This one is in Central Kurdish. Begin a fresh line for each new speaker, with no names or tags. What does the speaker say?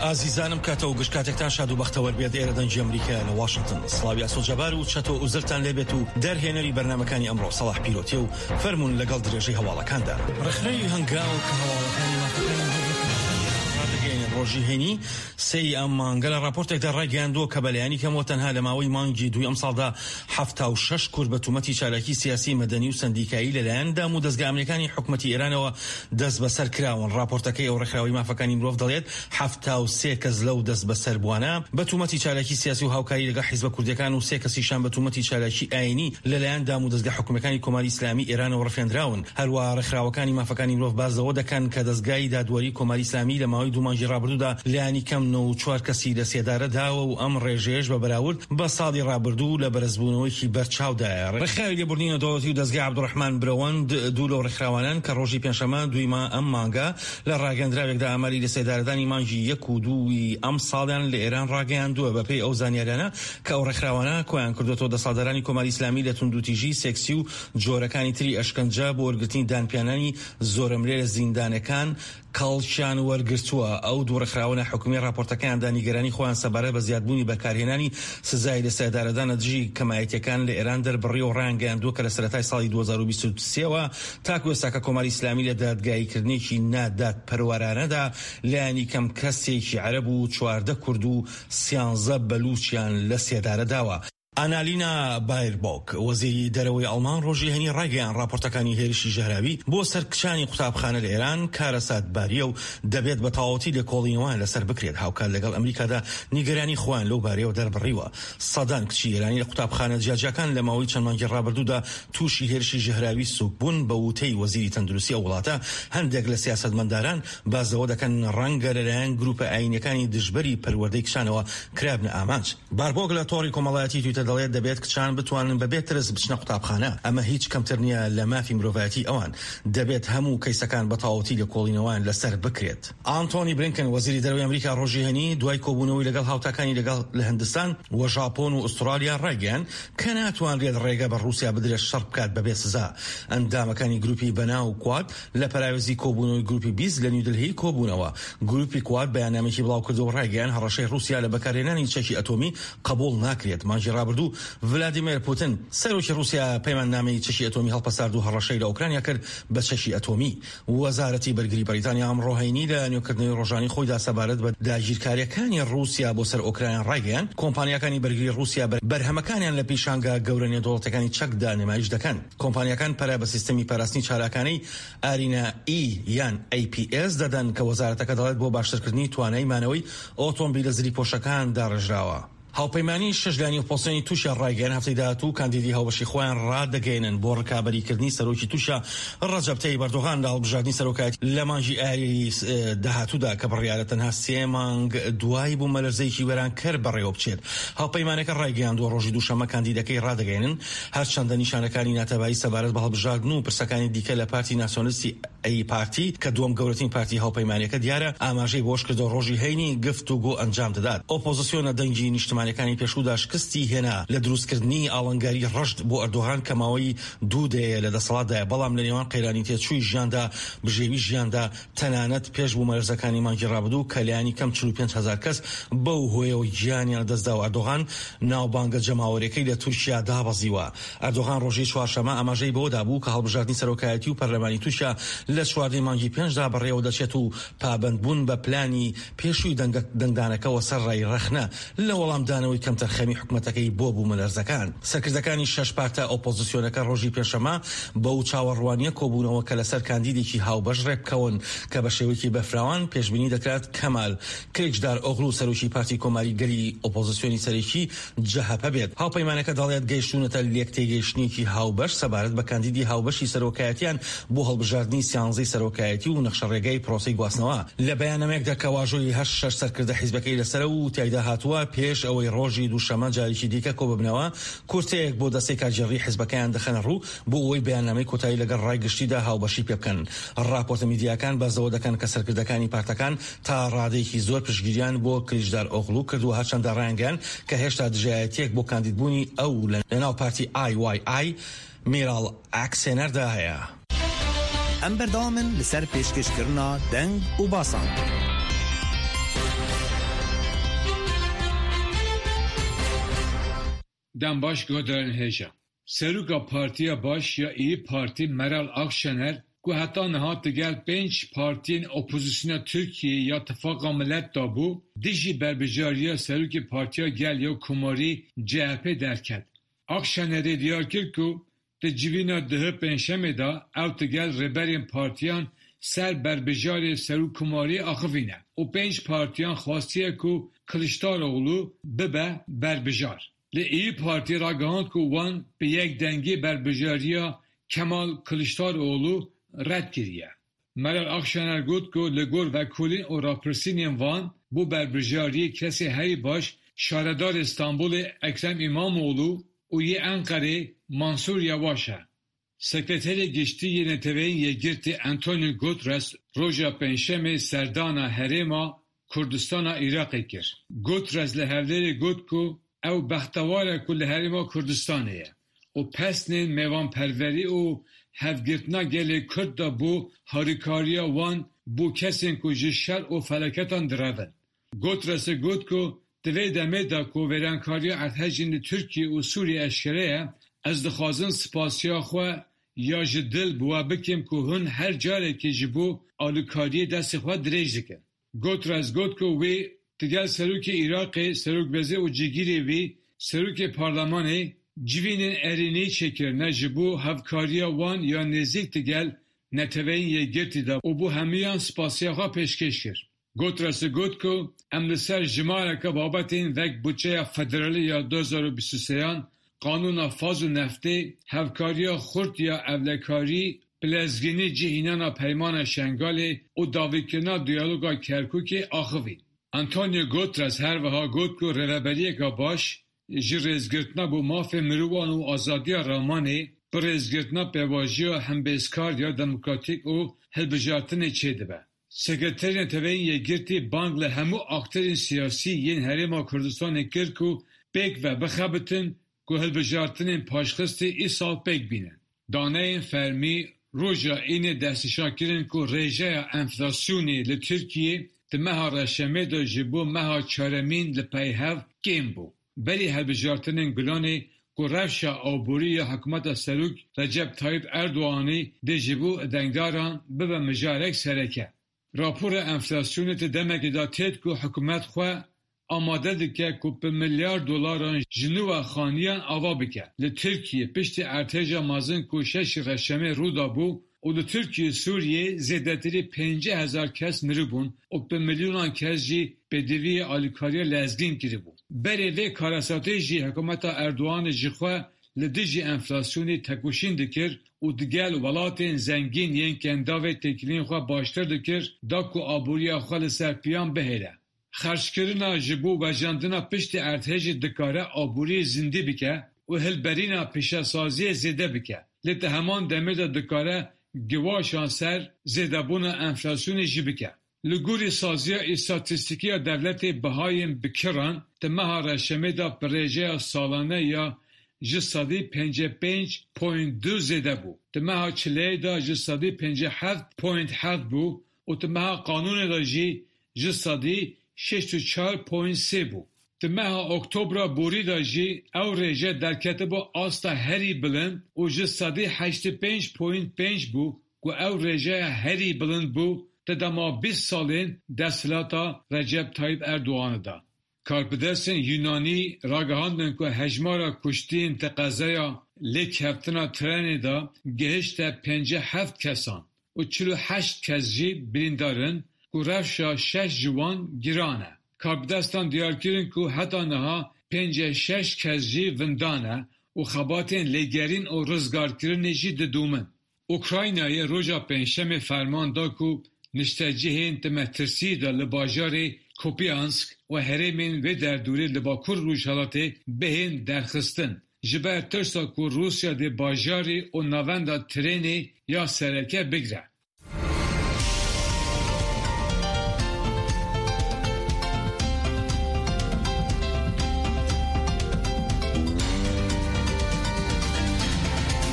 ئازیزانم کاتەوە گشت کاتێکتان شاد و بەختەوەر بێت ئێرە دەنگی ئەمریکا لە واشنگتن سڵاوی ئاسۆ جەبار و چەتۆ ئوزرتان لێبێت و دەرهێنەری بەرنمەکانی ئەمڕۆ سەڵاح پیرۆتێ و فەرمونون لەگەڵ درێژەی هەواڵەکاندا ڕێکخراوی هەنگاو کە هەواڵەکانی مافەکانی ڕادەگەیەنێت ڕۆژی هەینی سێی ئەم مانگە لە ڕاپۆرتێکدا ڕایگەیاندووە کە بەلایەنی کەمەوە تەنها لە ماوەی مانگی دووی ئەمساڵدا 76 کورد بە تومەتی چالاکی سیاسی مەدەنی و سەندیکایی لەلایەن دام و دەزگا ئەمنیەکانی حکومەتی ئێرانەوە دەستبەسەر کراون. ڕاپۆرتەکەی ئەو ڕێکخراوەی مافەکانی مرۆڤ دەڵێت 73 کەس لەو دەستبەسەربووانە بە تومەتی چالاکی سیاسی و هاوکاری لەگەڵ حیزبە کوردیەکان و سێ کەسیشیان بە تومەتی چالاکی ئایینی لەلایەن دام و دەزگا حکومیەکانی کۆماری ئیسلامی ئێرانەوە ڕفێندراون. هەروەها ڕێکخراوەکانی مافەکانی مرۆڤ باس لەوە دەکەن کە دەزگای دادوەری کۆماری ئیسلامی لە ماوەی دوو مانگی ڕابردوودا لایەنی کەم 94 کەسی لە سێدارە داوە و ئەم ڕێژەیەش بە بەراورد بە ساڵی ڕابردوو لە بەرزبوونەوەیەکی بەرچاودایە. ڕێکخراوی لێبوردنی نێودەوڵەتی و دەزگای عەبدوڕەحمان برەوەند دوو لەو ڕێکخراوانەن کە ڕۆژی پێنجشەممە دووی ئەم مانگە لە ڕاگەیەندراوێکدا ئاماری لەسێدارەدانی مانگی یەک و دووی ئەمساڵیان لە ئێران ڕاگەیاندووە. بەپێی ئەو زانیاریانە کە ئەو ڕێکخراوانە کۆیان کردووەتەوە دەسەڵاتدارانی کۆماری ئیسلامی لە توندوتیژی سێکسی و جۆرەکانی تری ئەشکەنجە بۆ وەرگرتنی دانپیانانی زۆرەملێ لە زیندانەکان کەڵکیان وەرگرتووە. ئەو دوو ڕێکخراوە ناحکومییە ڕاپۆرتەکەیاندا نیگەرانی خۆیان سەبارەت بە زیادبوونی بەکارهێنانی سزای لەسێدارەدان لە دژی کەمایەتییەکان لە ئێران دەربڕیوە و ڕایانگەیاندووە کە لە سەرەتای ساڵی 2023 وە تاکو ئێستاکە کۆماری ئیسلامی لە دادگاییکردنێکی نادادپەروەرانەدا لایەنی کەم کەسێکی عەرەب و 14 کورد و سیانزە بەلووچیان لەسێدارە داوە. ئانالینا بایربۆک، وەزیری دەرەوەی ئەڵمان ڕۆژی هەینی ڕایگەیاند ڕاپۆرتەکانی هێرشی ژەهراوی بۆ سەر کچانی قوتابخانە لە ئێران کارەساتبارییە و دەبێت بە تەواوەتی لێکۆڵینەوەیان لەسەر بکرێت، هاوکات لەگەڵ ئەمریکادا نیگەرانی خۆیان لەو بارەیەوە دەربڕیوە. سەدان کچی ئێرانی لە قوتابخانە جیاجیاکان لە ماوەی چەند مانگی ڕابردوودا تووشی هێرشی ژەهراوی سووک بوون، بە وتەی وەزیری تەندروستی ئەو وڵاتە هەندێک لە سیاسەتمەنداران باس لەوە دەکەن ڕەنگە لەلایەن گروپە ئایینیەکانی دژبەری پەروەردەی کچانەوە کرابنە ئامانج. باربۆک لە تۆڕی کۆمەڵایەتی تویتەر دەڵێت دەبێت کچان بتوانن بەبێ ترس بچنە قوتابخانە، ئەمە هیچ کەمتر نییە لە مافی مرۆڤایەتی ئەوان، دەبێت هەموو کەیسەکان بە تەواوەتی لێکۆڵینەوەیان لەسەر بکرێت. ئانتۆنی بلینکن وەزیری دەرەوەی ئەمریکا ڕۆژی هەینی دوای کۆبوونەوەی لەگەڵ هاوتاکانی لەگەڵ لە هندستان و ژاپۆن و ئوسترالیا ڕایگەیاند کە ناتوانرێت ڕێگە بە ڕووسیا بدرێت شەڕ بکات بەبێ سزا. ئەندامەکانی گروپی بەناو کواد لە پەراوێزی کۆبوونەوەی گروپی 20 لە نیودلهی کۆبوونەوە. گروپی کواد بەیاننامەیەکی بڵاوکردەوە و ڕایگەیاند هەڕەشەی ڕووسیا لە بەکارهێنانی چەکی ئەتۆمی قبوڵ ناکرێت. مانگی ڕابردوو ڤلادیمێر پوتن، سەرۆکی ڕووسیا پەیماننامەی چەکی ئەتۆمی هەڵپەسارد و هەڕەشەی لە ئۆکرانیا کرد بە چەکی ئەتۆمی. وەزارەتی بەرگری بەریتانیا ئەمڕۆ هەینی لە نوێکردنەوەی ڕۆژانەی خۆیدا سەبارەت بە داگیرکارییەکانی ڕووسیا بۆ سەر ئۆکرانیا ڕایگەیاند، کۆمپانیاکانی بەرگری ڕووسیا بەرهەمەکانیان لە پیشانگا گەورە نێودەوڵەتیەکانی چەکدا نمایش دەکەن. کۆمپانیاکان پەرە بە سیستەمی پاراستنی چالاکانەی ئارینا ئی یان ئەی پی ئێس دەدەن کە وەزارەتەکە دەڵێت بۆ باشترکردنی توانای مانەوەی ئۆتۆمبیلە زریپۆشەکان داڕێژراوە. هاوپەیمانیی شەش لایەنی ئۆپۆزسیۆنی تورکیا ڕایگەیاند، هەفتەی داهاتوو کاندیدی هاوبەشی خۆیان ڕادەگەیەنن بۆ ڕکابەریکردنی سەرۆکی تورکیا ڕەجەب تەیب ئەردۆغان لە هەڵبژاردنی سەرۆکایەتی لە مانگی ئایاری داهاتوودا کە بڕیارە تەنها سێ مانگ دوای بوومەلەرزەیەکی وێرانکەر بەڕێوەبچێت. هاوپەیمانەکە ڕایگەیاندووە، ڕۆژی دووشەممە کاندیدەکەی ڕادەگەیەنن، هەرچەندە نیشانەکانی ناتەبایی سەبارەت بە هەڵبژاردن و پرسەکانی دیکە لە پارتی ناسیۆنلیستی ئەی پارتی کە دووەم گەورەترین پارتی هاوپەیمانیەکە دیارە، ئاماژەی بەوەشکردووە ڕۆژی هەینی گفتوگۆ ئەنجام دەدات. ئۆپۆزسیۆنە دەنگی نیشتمانیەکانی پێشوودا شکستی هێنا لە دروستکردنی ئاڵنگاری ڕەشد بۆ ئەردۆغان کە ماوەی دوو دەیەیە لە دەسەڵاتدایە، بەڵام لە نێوان قەیرانی تێچووی ژیاندا، بژێوی ژیاندا، تەنانەت پێش بوومەلەرزەکانی مانگی ڕابردوو کە لایەنی کەم 45 هەزار کەس بەو هۆیەوە گیانیان لەدەستدا و ئەردۆغان ناوبانگە جەماوەریەکەی لە تورکیا دابەزیوە. ئەردۆغان ڕۆژی چوارشەممە ئاماژەی بەوەدا بوو کە هەڵبژاردنی سەرۆکایەتی و پەرلەمانی تورکیا لە چواردەی مانگی پێنجدا بەڕێوەدەچێت و پابەندبوون بە پلانی پێشووی دەنگدانەکەوە سەرڕای ڕەخنە لە وەڵامدانەوەی کەمتەرخەمی حکومەتەکەی بۆ بوومەلەرزەکان. سەرکردەکانی شەش پارتە ئۆپۆزسیۆنەکە ڕۆژی پێنجشەممە بەو چاوەڕوانییە کۆبوونەوە کە لەسەر کاندیدێکی هاوبەش ڕێکبکەون کە بە شێوەیەکی بەرفراوان پێشبینی دەکرات کەمال کلیچدار ئۆغلو سەرۆکی پارتی کۆماری گەلی ئۆپۆزسیۆنی سەرەکی جەهەپە بێت. هاوپەیمانەکە دەڵێت گەیشتوونەتە لێکتێگەیشتنێکی هاوبەش سەبارەت بە کاندیدی هاوبەشی سەرۆکایەتیان بۆ هەڵبژاردنی سیانزەی سەرۆکایەتی و نەخشەڕێگای پرۆسەی گواستنەوە. لە بەیاننامەیەکدا کە واژۆی هەر شەش سەرکردە حیزبەکەی لەسەرە و تیایدا هاتووە، پێش ئەوەی ڕۆژی دووشەممە جارێکی دیکە کۆببنەوە، کورتەیەک بۆ دەستەی کارگێڕیی حیزبەکەیان دەخەنە ڕوو بۆ ئەوەی بەیاننامەی کۆتایی لەگەڵ ڕای گشتیدا هاوبەشی پێبکەن. ڕاپۆرتە میدیایەکان باس لەوە دەکەن کە سەرکردەکانی پارتەکان تا ڕادەیەکی زۆر پشتگیریان بۆ کلیچدارئۆغڵو کردووە هەرچەندە ڕایانگەیاند کە هێشتا دژایەتییەک بۆ کاندیدبوونی ئەو لەناو پارتی IYI میراڵ ئاکسێنەردا هەیە.
ئەم بەردەوامن لەسەر پێشکەشکردنا دەنگ و باسان. Dem baş guhdarên hêja. Seroka Partiya Baş ya Îyî Partî Meral Akşener ku heta niha digel pênc partiyên opozisyona Tirkiyeyê ya Tifaqa Milet de bû, dijî berbijariya Serokê Partiya Gel ya Komarî CHP derket. Akşenerê diyar kir ku di civîna duh Pêncşemê de ew digel rêberên partiyan ser berbijarê Serokkomariyê axivîne û pênc partiyan xwastiye ku Kiliçdaroglu bibe berbijar. Lê Îyî Partî ragihand ku wan bi yek dengî berbijariya Kemal Kiliçdaroglu red kiriye. Meral Akşener got ku li gor vekolîn û rapirsînên van bo berbijariyê kesê herî baş Şaredarê Stenbolê Ekrem Îmamoglû û yê Enqerê Mansûr Yavaş e. Sekreterê Giştî yê Neteweyên Yekgirtî Antonio Guterres roja Pêncşemê serdana Herêma Kurdistana Iraqê kir. Guterres li Hewlêrê got ku ew bextewar e ku li Herêma Kurdistanê ye û pesnên mêvanperwerî û hevgirtina gelê Kurd de bo harîkariya wan bo kesên ku ji şer û felaketan direvin. Guterresê got ku di vê demê de ku wêrankariya erdhejên li Tirkiye û Sûriyê eşkere ye, ez dixwazim spasiya xwe ya ji dil bi we bikim ku hûn her carekê ji bo alîkariyê destê xwe dirêj dikin. Guterres got ku wî digel Serokê Iraqê, Serokwezîr û cîgirê wî, Serokê Parlemanê civînên erênî çêkirine ji bo hevkariya wan ya nêzîk digel Neteweyên Yekgirtî de û bo hemûyan spasiya xwe pêşkêş kir. Guterres got ku em li ser jimareke babetên wek butçeya federalî ya 2023 an, qanûna faz û neftê, hevkariya xurt ya ewlekarî, bi lezgînî cihînana Peymana Şengalê û dawîkirina diyaloga Kerkûkê axivîn. Antonio Guterres her wiha got ku rêveberiyeke baş ji rêzgirtina bo mafê mirovan û azadiya ramanê, bi rêzgirtina pêvajoya hembêzkar ya demokratîk û hilbijartinê çêdibe. Sekreterê Neteweyên Yekgirtî bang li hemû akterên siyasî yên Herêma Kurdistanê kir ku pêkve bixebitin ku hilbijartinên paşxistî îsal pêk bînin. Daneyên fermî roja Înê destnîşan kirin ku rêjeya enflasyonê li Tirkiyê di meha Reşemê de ji bo meha çaremîn li pey hev kêm bû. Berî hilbijartinên Gulanê ku rewşa aborî ya hikûmeta Serok Recep Tayyip Erdoganî dê ji bo dengdaran bibe mijarek sereke. Rapora enflasyonê di demekê de têt ku hikûmet xwe amade dike ku bi milyar dolaran ji nû ve xaniyan ava bike. Li Tirkiyê piştî erdhêja mezin ku şeş Reşemê rû dabû û li Tirkiye û Sûriyê zêdetirî 50,000 kes miribûn û bi milyonan kes jî pêdiviyê alîkariya lezgîn kiribû. Berê vê karesatê jî hikûmeta Erdoganê ji xwe li dijî enflasyonê tekoşîn dikir û digel welatên zengîn yên Kendavê têkiliyên xwe baştir dikir da ku aboriya xwe li ser piyan bihêle. Xerckirina ji bo vejandina piştî erdhejê dikare aboriyê zindî bike û hilberîna pîşesaziyê zêde bike, lê di heman demê de dikare giwaşan ser zêdebûna enflasyonê jî bike. Li gorî saziya îstatîstîkî ya dewletê bihayên bi kiran di meha Reşemê de bi rêjeya salane ya 55.2% zêde bû. Di meha Çileyê de 57.7% bû û di meha Kanûnê de jî 64.3% bû. Di meha Oktobra borî de jî ew rêje derketibû asta herî bilind û 85.5% bû ku ew rêjeya herî bilind bû di dema 20 salên desthilata Recep Tayyip Erdogan de. Karbidestên Yûnanî ragihandin ku hejmara kuştiyên di qezaya lêkeftina trenê de gihişte 57 kesan û 48 kes jî birîndar in ku rewşa şeş ji wan giran e. Karbidestan diyar kirin ku heta niha 56 kes jî winda ne û xebatên lêgerîn û rizgarkirinê jî didomin. Ukraynayê roja Pêncşemê ferman da ku niştecihên di metirsiyê de li bajarê Kupiansk û herêmên vê derdorê li Bakur Rojhilatê bihên derxistin. Ji ber tirsa ku Rûsya dê bajarê û navenda trenê ya sereke bigre.